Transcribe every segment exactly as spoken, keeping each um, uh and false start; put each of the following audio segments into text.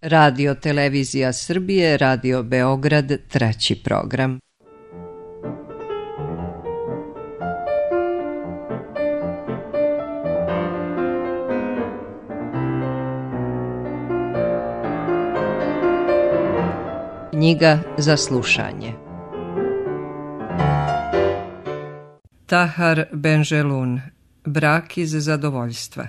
Radio Televizija Srbije, Radio Beograd, treći program. Knjiga za slušanje. Tahar Benjelun, Brak iz zadovoljstva.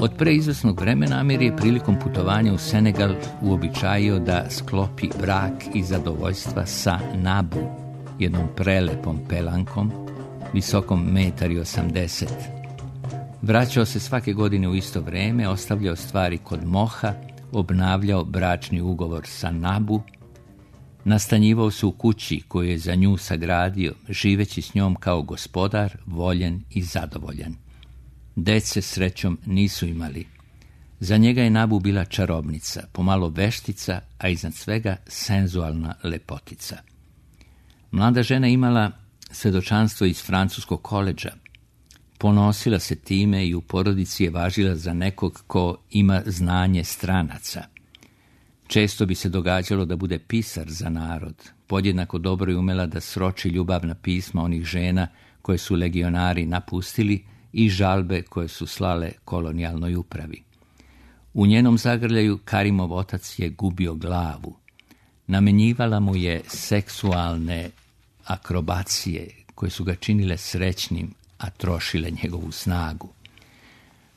Od preizvesnog vremena Amir je prilikom putovanja u Senegal uobičajio da sklopi brak iz zadovoljstva sa Nabu, jednom prelepom pelankom, visokom metar i osamdeset. Vraćao se svake godine u isto vreme, ostavljao stvari kod Moha, obnavljao bračni ugovor sa Nabu, nastanjivao se u kući koju je za nju sagradio, živeći s njom kao gospodar, voljen i zadovoljan. Dece srećom nisu imali. Za njega je Nabu bila čarobnica, pomalo veštica, a iznad svega senzualna lepotica. Mlada žena imala svedočanstvo iz francuskog koledža. Ponosila se time i u porodici je važila za nekog ko ima znanje stranaca. Često bi se događalo da bude pisar za narod. Podjednako dobro je umela da sroči ljubavna pisma onih žena koje su legionari napustili i žalbe koje su slale kolonijalnoj upravi. U njenom zagrljaju Karimov otac je gubio glavu. Namenjivala mu je seksualne akrobacije koje su ga činile srećnim, a trošile njegovu snagu.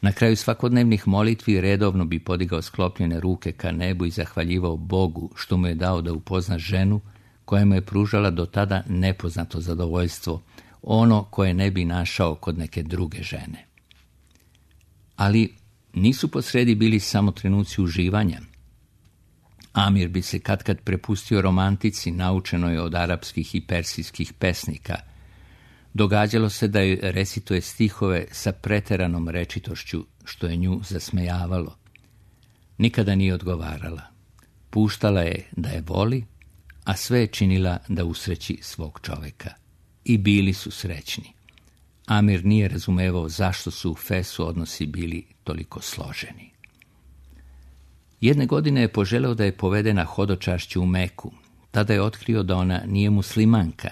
Na kraju svakodnevnih molitvi redovno bi podigao sklopljene ruke ka nebu i zahvaljivao Bogu što mu je dao da upozna ženu koja mu je pružala do tada nepoznato zadovoljstvo, ono koje ne bi našao kod neke druge žene. Ali nisu posredi bili samo trenuci uživanja. Amir bi se katkad prepustio romantici, naučenoj od arapskih i persijskih pesnika. Događalo se da joj recituje stihove sa preteranom rečitošću, što je nju zasmejavalo. Nikada nije odgovarala. Puštala je da je voli, a sve je činila da usreći svog čoveka. I bili su srećni. Amir nije razumevao zašto su u Fesu odnosi bili toliko složeni. Jedne godine je poželeo da je povede na hodočašću u Meku. Tada je otkrio da ona nije muslimanka,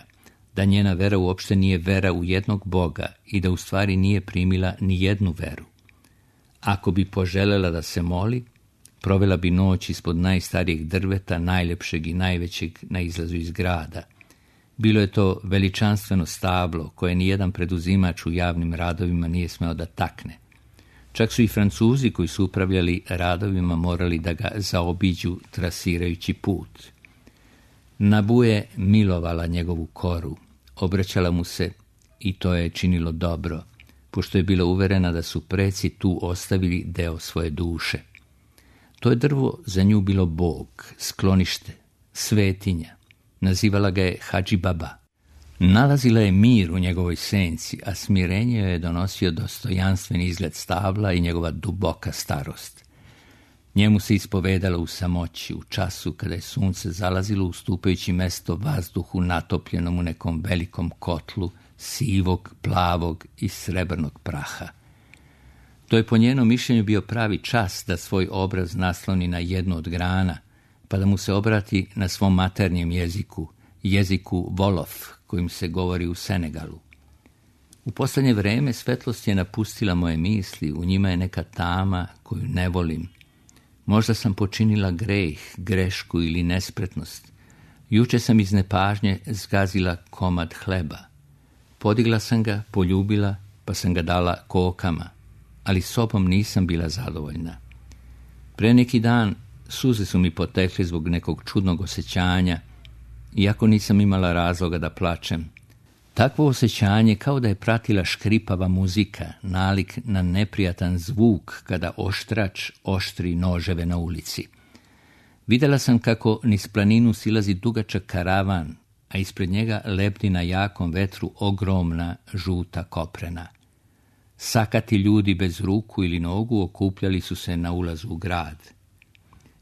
da njena vera uopšte nije vera u jednog Boga i da u stvari nije primila ni jednu veru. Ako bi poželela da se moli, provela bi noć ispod najstarijeg drveta, najlepšeg i najvećeg na izlazu iz grada. Bilo je to veličanstveno stablo koje nijedan preduzimač u javnim radovima nije smeo da takne. Čak su i Francuzi koji su upravljali radovima morali da ga zaobiđu trasirajući put. Nabu je milovala njegovu koru, obraćala mu se i to je činilo dobro, pošto je bila uverena da su preci tu ostavili deo svoje duše. To je drvo za nju bilo Bog, sklonište, svetinja. Nazivala ga je Hadži Baba. Nalazila je mir u njegovoj senci, a smirenje joj je donosio dostojanstven izgled stabla i njegova duboka starost. Njemu se ispovedala u samoći, u času kada je sunce zalazilo, ustupajući mesto vazduhu natopljenom u nekom velikom kotlu sivog, plavog i srebrnog praha. To je po njenom mišljenju bio pravi čas da svoj obraz nasloni na jednu od grana, pa da mu se obrati na svom maternjem jeziku, jeziku Wolof, kojim se govori u Senegalu. U posljednje vreme svetlost je napustila moje misli, u njima je neka tama koju ne volim. Možda sam počinila greh, grešku ili nespretnost. Juče sam iz nepažnje zgazila komad hleba. Podigla sam ga, poljubila, pa sam ga dala kokama, ali sobom nisam bila zadovoljna. Pre neki dan suze su mi potekle zbog nekog čudnog osjećanja, iako nisam imala razloga da plačem. Takvo osjećanje kao da je pratila škripava muzika, nalik na neprijatan zvuk kada oštrač oštri noževe na ulici. Vidjela sam kako niz planinu silazi dugačak karavan, a ispred njega lebdi na jakom vetru ogromna žuta koprena. Sakati ljudi bez ruku ili nogu okupljali su se na ulazu u grad.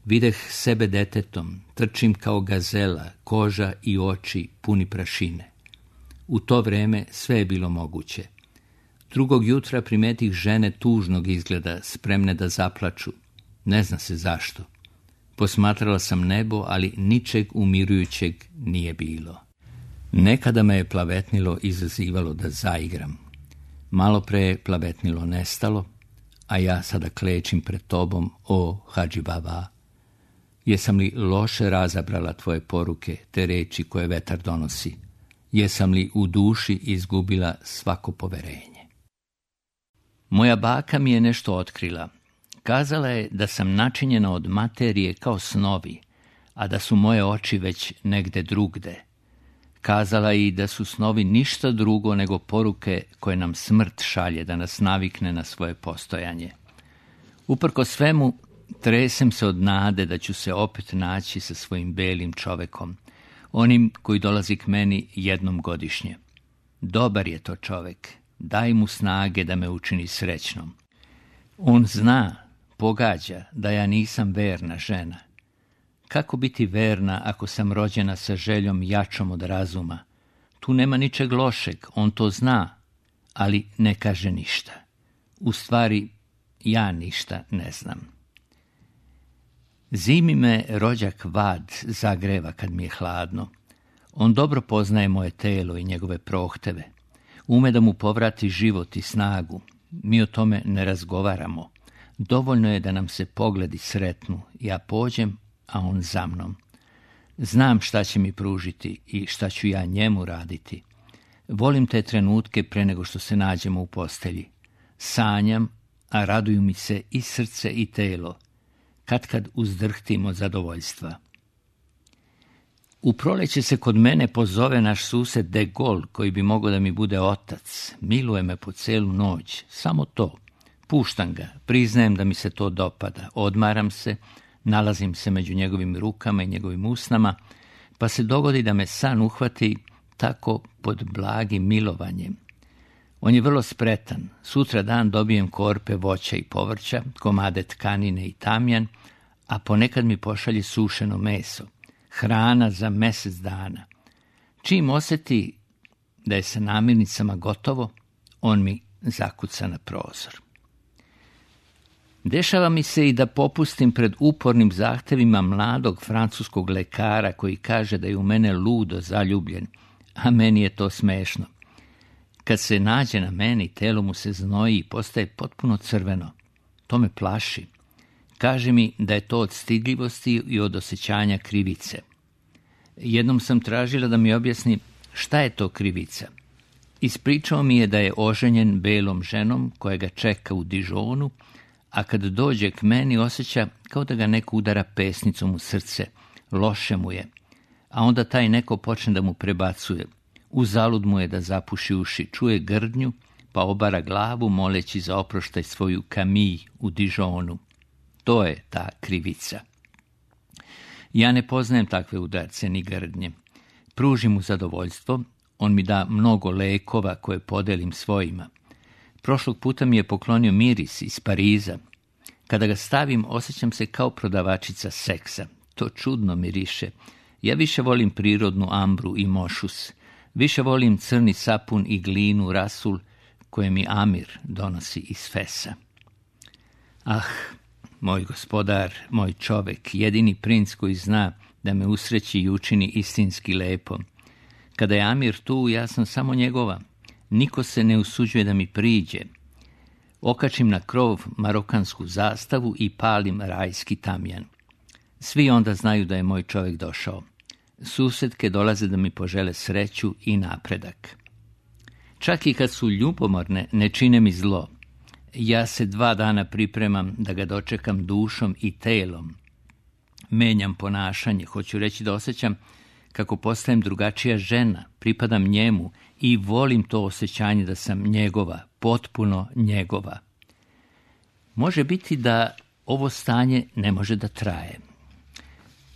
Videh sebe detetom, trčim kao gazela, koža i oči puni prašine. U to vreme sve je bilo moguće. Drugog jutra primetih žene tužnog izgleda, spremne da zaplaču. Ne zna se zašto. Posmatrala sam nebo, ali ničeg umirujućeg nije bilo. Nekada me je plavetnilo izazivalo da zaigram. Malo pre je plavetnilo nestalo, a ja sada klečim pred tobom, o Hadži Baba. Jesam li loše razabrala tvoje poruke, te reči koje vetar donosi? Jesam li u duši izgubila svako poverenje? Moja baka mi je nešto otkrila. Kazala je da sam načinjena od materije kao snovi, a da su moje oči već negde drugde. Kazala je i da su snovi ništa drugo nego poruke koje nam smrt šalje da nas navikne na svoje postojanje. Uprko svemu, tresem se od nade da ću se opet naći sa svojim belim čovekom, onim koji dolazi k meni jednom godišnje. Dobar je to čovek, daj mu snage da me učini srećnom. On zna, pogađa da ja nisam verna žena. Kako biti verna ako sam rođena sa željom jačom od razuma? Tu nema ničeg lošeg, on to zna, ali ne kaže ništa. U stvari, ja ništa ne znam. Zimi me rođak vad zagreva kad mi je hladno. On dobro poznaje moje telo i njegove prohteve. Ume da mu povrati život i snagu. Mi o tome ne razgovaramo. Dovoljno je da nam se pogledi sretnu. Ja pođem, a on za mnom. Znam šta će mi pružiti i šta ću ja njemu raditi. Volim te trenutke pre nego što se nađemo u postelji. Sanjam, a raduju mi se i srce i telo. Katkad uzdrhtim od zadovoljstva. U proleće se kod mene pozove naš sused De Gaulle, koji bi mogao da mi bude otac. Miluje me po celu noć, samo to. Puštam ga, priznajem da mi se to dopada, odmaram se, nalazim se među njegovim rukama i njegovim usnama, pa se dogodi da me san uhvati tako pod blagim milovanjem. On je vrlo spretan. Sutra dan dobijem korpe voća i povrća, komade tkanine i tamjan, a ponekad mi pošalje sušeno meso. Hrana za mesec dana. Čim osjeti da je sa namirnicama gotovo, on mi zakuca na prozor. Dešava mi se i da popustim pred upornim zahtevima mladog francuskog lekara koji kaže da je u mene ludo zaljubljen, a meni je to smešno. Kad se nađe na meni, telo mu se znoji i postaje potpuno crveno. To me plaši. Kaže mi da je to od stidljivosti i od osjećanja krivice. Jednom sam tražila da mi objasni šta je to krivica. Ispričao mi je da je oženjen belom ženom koja ga čeka u Dijonu, a kad dođe k meni osjeća kao da ga neko udara pesnicom u srce. Loše mu je. A onda taj neko počne da mu prebacuje. Uzalud mu je da zapuši uši, čuje grdnju, pa obara glavu moleći za oproštaj svoju Camille u Dijonu. To je ta krivica. Ja ne poznajem takve udarce ni grdnje. Pružim mu zadovoljstvo, on mi da mnogo lekova koje podelim svojima. Prošlog puta mi je poklonio miris iz Pariza. Kada ga stavim, osjećam se kao prodavačica seksa. To čudno miriše. Ja više volim prirodnu ambru i mošus. Više volim crni sapun i glinu rasul koje mi Amir donosi iz Fesa. Ah, moj gospodar, moj čovek, jedini princ koji zna da me usreći i učini istinski lepo. Kada je Amir tu, ja sam samo njegova. Niko se ne usuđuje da mi priđe. Okačim na krov marokansku zastavu i palim rajski tamjan. Svi onda znaju da je moj čovek došao. Susedke dolaze da mi požele sreću i napredak. Čak i kad su ljubomorne, ne čine mi zlo. Ja se dva dana pripremam da ga dočekam dušom i telom. Menjam ponašanje, hoću reći da osjećam kako postajem drugačija žena, pripadam njemu i volim to osjećanje da sam njegova, potpuno njegova. Može biti da ovo stanje ne može da traje.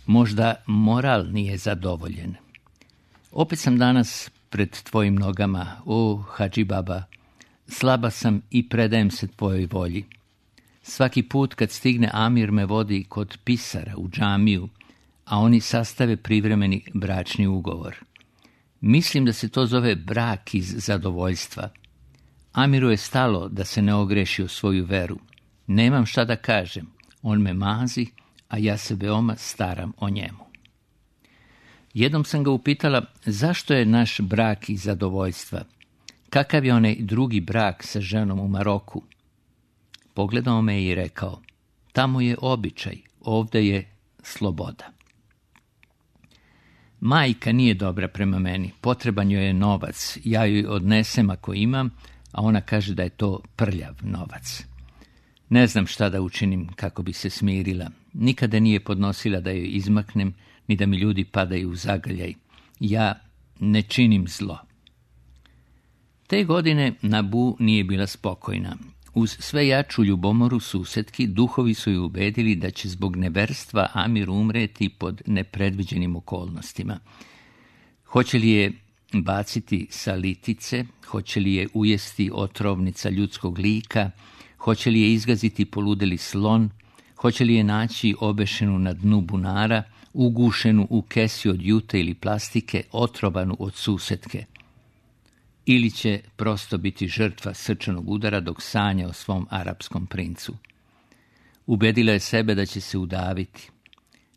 Možda moral nije zadovoljen. Opet sam danas pred tvojim nogama, o Hadži Baba, slaba sam i predajem se tvojoj volji. Svaki put kad stigne Amir me vodi kod pisara u džamiju, a oni sastave privremeni bračni ugovor. Mislim da se to zove brak iz zadovoljstva. Amiru je stalo da se ne ogreši o svoju veru. Nemam šta da kažem, on me mazi, a ja se veoma staram o njemu. Jednom sam ga upitala zašto je naš brak iz zadovoljstva. Kakav je onaj drugi brak sa ženom u Maroku? Pogledao me i rekao, tamo je običaj, ovdje je sloboda. Majka nije dobra prema meni, potreban joj je novac, ja joj odnesem ako imam, a ona kaže da je to prljav novac. Ne znam šta da učinim kako bi se smirila. Nikada nije podnosila da joj izmaknem, ni da mi ljudi padaju u zagrljaj. Ja ne činim zlo. Te godine Nabu nije bila spokojna. Uz sve jaču ljubomoru susetki, duhovi su ju ubedili da će zbog neverstva Amir umreti pod nepredviđenim okolnostima. Hoće li je baciti sa litice, hoće li je ujesti otrovnica ljudskog lika, hoće li je izgaziti poludeli slon, hoće li je naći obešenu na dnu bunara, ugušenu u kesi od jute ili plastike, otrovanu od susetke. Ili će prosto biti žrtva srčanog udara dok sanja o svom arapskom princu. Ubedila je sebe da će se udaviti.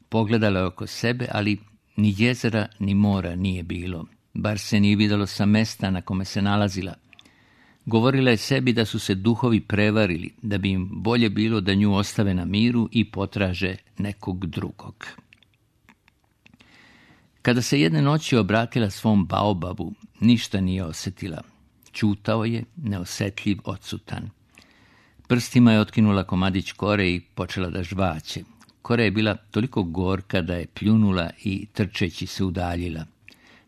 Pogledala je oko sebe, ali ni jezera ni mora nije bilo. Bar se nije vidjelo sa mesta na kome se nalazila. Govorila je sebi da su se duhovi prevarili, da bi im bolje bilo da nju ostave na miru i potraže nekog drugog. Kada se jedne noći obratila svom baobabu, ništa nije osjetila. Ćutao je, neosjetljiv, odsutan. Prstima je otkinula komadić kore i počela da žvaće. Kora je bila toliko gorka da je pljunula i trčeći se udaljila.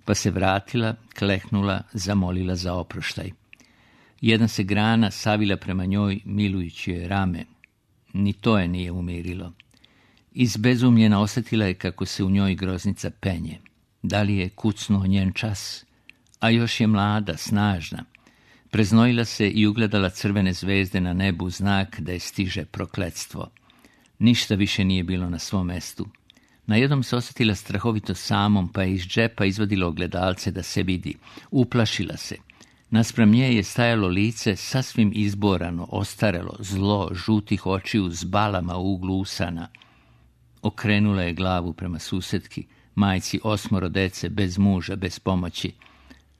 Pa se vratila, klehnula, zamolila za oproštaj. Jedna se grana savila prema njoj, milujući joj rame. Ni to je nije umirilo. Izbezumljena osjetila je kako se u njoj groznica penje. Da li je kucnuo njen čas? A još je mlada, snažna. Preznojila se i ugledala crvene zvezde na nebu, znak da je stiže prokletstvo. Ništa više nije bilo na svom mestu. Najednom se osjetila strahovito samom, pa je iz džepa izvadila ogledalce da se vidi. Uplašila se. Naspram nje je stajalo lice sasvim izborano, ostarelo, zlo, žutih očiju s balama u uglu usana. Okrenula je glavu prema susetki, majci osmoro dece, bez muža, bez pomoći.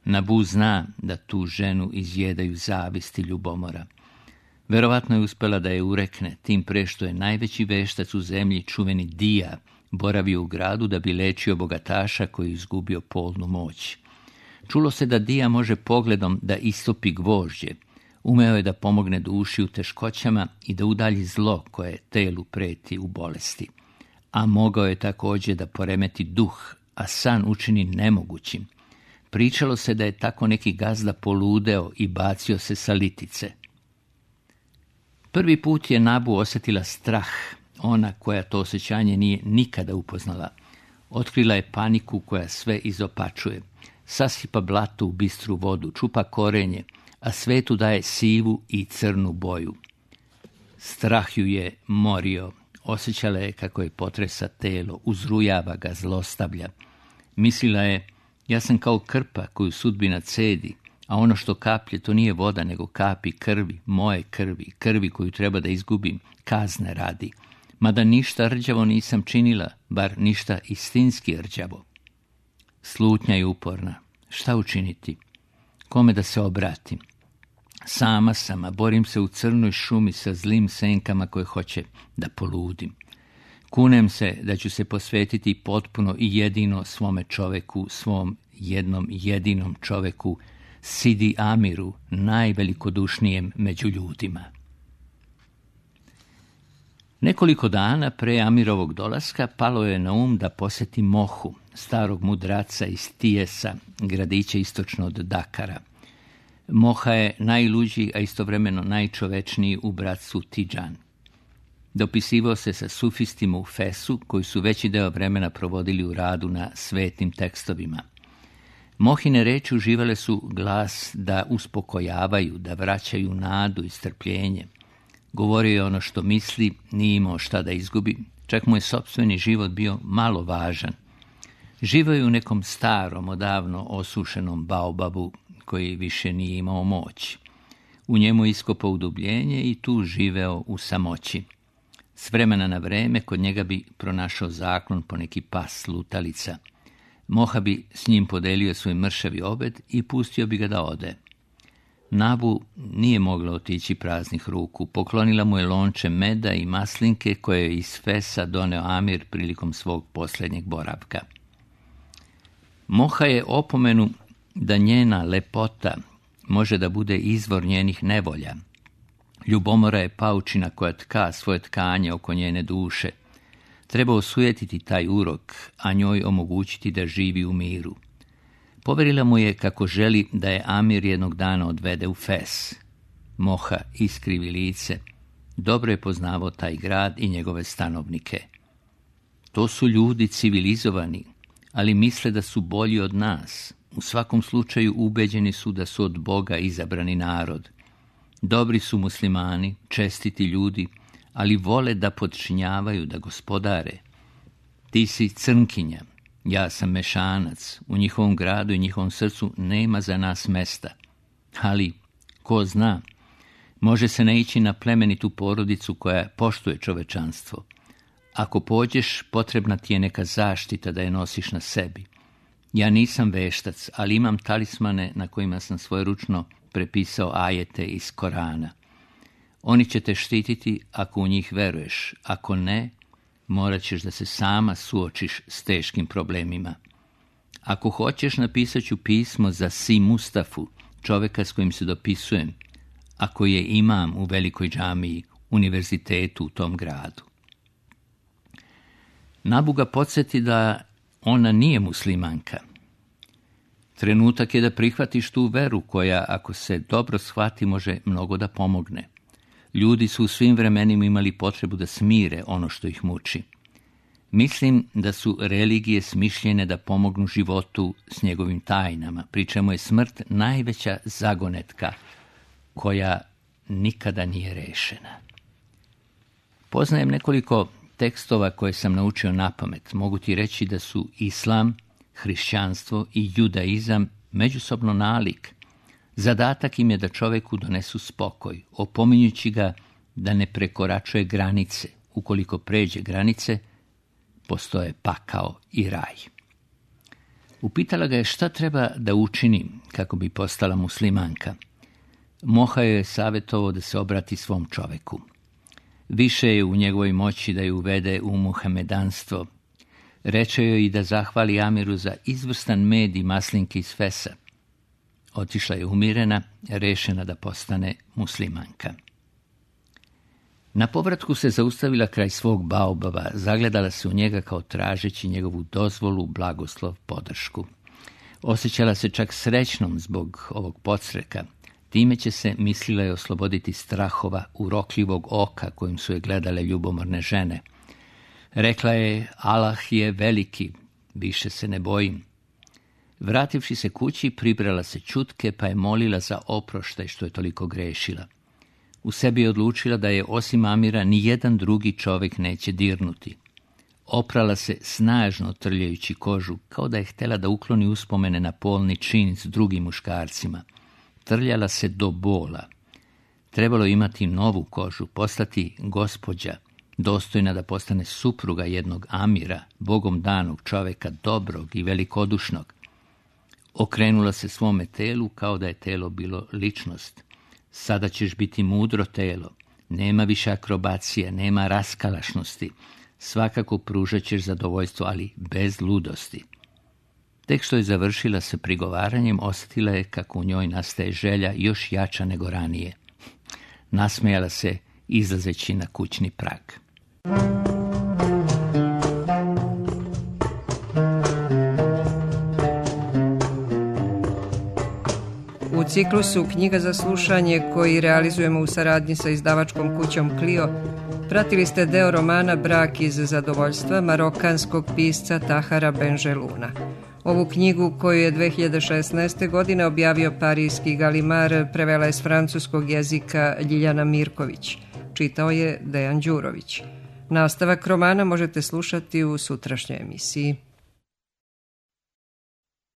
Nabu zna da tu ženu izjedaju zavist i ljubomora. Verovatno je uspela da je urekne, tim pre što je najveći veštac u zemlji, čuveni Dija, boravio u gradu da bi lečio bogataša koji je izgubio polnu moć. Čulo se da Dija može pogledom da istopi gvožđe. Umeo je da pomogne duši u teškoćama i da udalji zlo koje telu preti u bolesti. A mogao je također da poremeti duh, a san učini nemogućim. Pričalo se da je tako neki gazda poludeo i bacio se sa litice. Prvi put je Nabu osjetila strah, ona koja to osjećanje nije nikada upoznala. Otkrila je paniku koja sve izopačuje. Sasipa blato u bistru vodu, čupa korenje, a svetu daje sivu i crnu boju. Strah ju je morio. Osjećala je kako je potresa telo, uzrujava ga, zlostavlja. Mislila je, ja sam kao krpa koju sudbina cedi, a ono što kaplje to nije voda nego kapi krvi, moje krvi, krvi koju treba da izgubim, kazne radi. Mada ništa rđavo nisam činila, bar ništa istinski rđavo. Slutnja je uporna. Šta učiniti? Kome da se obratim? Sama sam, a borim se u crnoj šumi sa zlim senkama koje hoće da poludim. Kunem se da ću se posvetiti potpuno i jedino svome čoveku, svom jednom jedinom čoveku, Sidi Amiru, najvelikodušnijem među ljudima. Nekoliko dana pre Amirovog dolaska palo je na um da posjeti Mohu, starog mudraca iz Tijesa, gradića istočno od Dakara. Moha je najluđi, a istovremeno najčovečniji u bratstvu Tidžan. Dopisivao se sa sufistima u Fesu, koji su veći deo vremena provodili u radu na svetim tekstovima. Mohine reči uživale su glas da uspokojavaju, da vraćaju nadu i strpljenje. Govorio je ono što misli, nije imao šta da izgubi, čak mu je sopstveni život bio malo važan. Živio je u nekom starom, odavno osušenom baobabu koji više nije imao moć. U njemu iskopao udubljenje i tu živeo u samoći. S vremena na vreme kod njega bi pronašao zaklon po neki pas lutalica. Moha bi s njim podelio svoj mršavi obed i pustio bi ga da ode. Nabu nije mogla otići praznih ruku. Poklonila mu je lonče meda i maslinke koje je iz Fesa doneo Amir prilikom svog posljednjeg boravka. Moha je opomenu da njena lepota može da bude izvor njenih nevolja. Ljubomora je paučina koja tka svoje tkanje oko njene duše. Treba osujetiti taj urok, a njoj omogućiti da živi u miru. Poverila mu je kako želi da je Amir jednog dana odvede u Fes. Moha iskrivi lice. Dobro je poznavao taj grad i njegove stanovnike. To su ljudi civilizovani, ali misle da su bolji od nas. U svakom slučaju ubeđeni su da su od Boga izabrani narod. Dobri su muslimani, čestiti ljudi, ali vole da podčinjavaju, da gospodare. Ti si crnkinja, ja sam mešanac, u njihovom gradu i njihovom srcu nema za nas mesta. Ali, ko zna, može se naići na plemenitu porodicu koja poštuje čovečanstvo. Ako pođeš, potrebna ti je neka zaštita da je nosiš na sebi. Ja nisam veštac, ali imam talismane na kojima sam svojeručno prepisao ajete iz Korana. Oni će te štititi ako u njih veruješ, ako ne, morat ćeš da se sama suočiš s teškim problemima. Ako hoćeš, napisat ću pismo za Si Mustafu, čoveka s kojim se dopisujem, a koji je imam u velikoj džamiji, univerzitetu u tom gradu. Nabu ga podsjeti da ona nije muslimanka. Trenutak je da prihvatiš tu veru koja, ako se dobro shvati, može mnogo da pomogne. Ljudi su u svim vremenima imali potrebu da smire ono što ih muči. Mislim da su religije smišljene da pomognu životu s njegovim tajnama, pri čemu je smrt najveća zagonetka koja nikada nije rešena. Poznajem nekoliko tekstova koje sam naučio napamet. Mogu ti reći da su islam, hrišćanstvo i judaizam međusobno nalik. Zadatak im je da čoveku donesu spokoj, opominjući ga da ne prekoračuje granice. Ukoliko pređe granice, postoje pakao i raj. Upitala ga je šta treba da učini kako bi postala muslimanka. Moha je savjetovao da se obrati svom čoveku. Više je u njegovoj moći da je uvede u muhamedanstvo. Reče joj i da zahvali Amiru za izvrstan med i maslinke iz Fesa. Otišla je umirena, rešena da postane muslimanka. Na povratku se zaustavila kraj svog baobaba, zagledala se u njega kao tražeći njegovu dozvolu, blagoslov, podršku. Osjećala se čak srećnom zbog ovog podsreka. Time će se, mislila je, osloboditi strahova urokljivog oka kojim su je gledale ljubomorne žene. Rekla je, Allah je veliki, više se ne bojim. Vrativši se kući, pribrala se ćutke, pa je molila za oproštaj što je toliko grešila. U sebi je odlučila da je osim Amira ni jedan drugi čovjek neće dirnuti. Oprala se snažno trljajući kožu, kao da je htjela da ukloni uspomene na polni čin s drugim muškarcima. Trljala se do bola. Trebalo imati novu kožu, postati gospođa, dostojna da postane supruga jednog Amira, bogom danog čovjeka, dobrog i velikodušnog. Okrenula se svome telu kao da je telo bilo ličnost. Sada ćeš biti mudro telo, nema više akrobacije, nema raskalašnosti, svakako pružat ćeš zadovoljstvo, ali bez ludosti. Tek što je završila sa prigovaranjem, osjetila je kako u njoj nastaje želja još jača nego ranije. Nasmejala se izlazeći na kućni prag. U ciklusu Knjiga za slušanje, koji realizujemo u saradnji sa izdavačkom kućom Clio, pratili ste deo romana Brak iz zadovoljstva marokanskog pisca Tahara Benjeluna. Ovu knjigu, koju je dve hiljade šesnaeste. godine objavio parijski Galimar, prevela je s francuskog jezika Ljiljana Mirković. čitao je Dejan Đurović. Nastavak romana možete slušati u sutrašnjoj emisiji.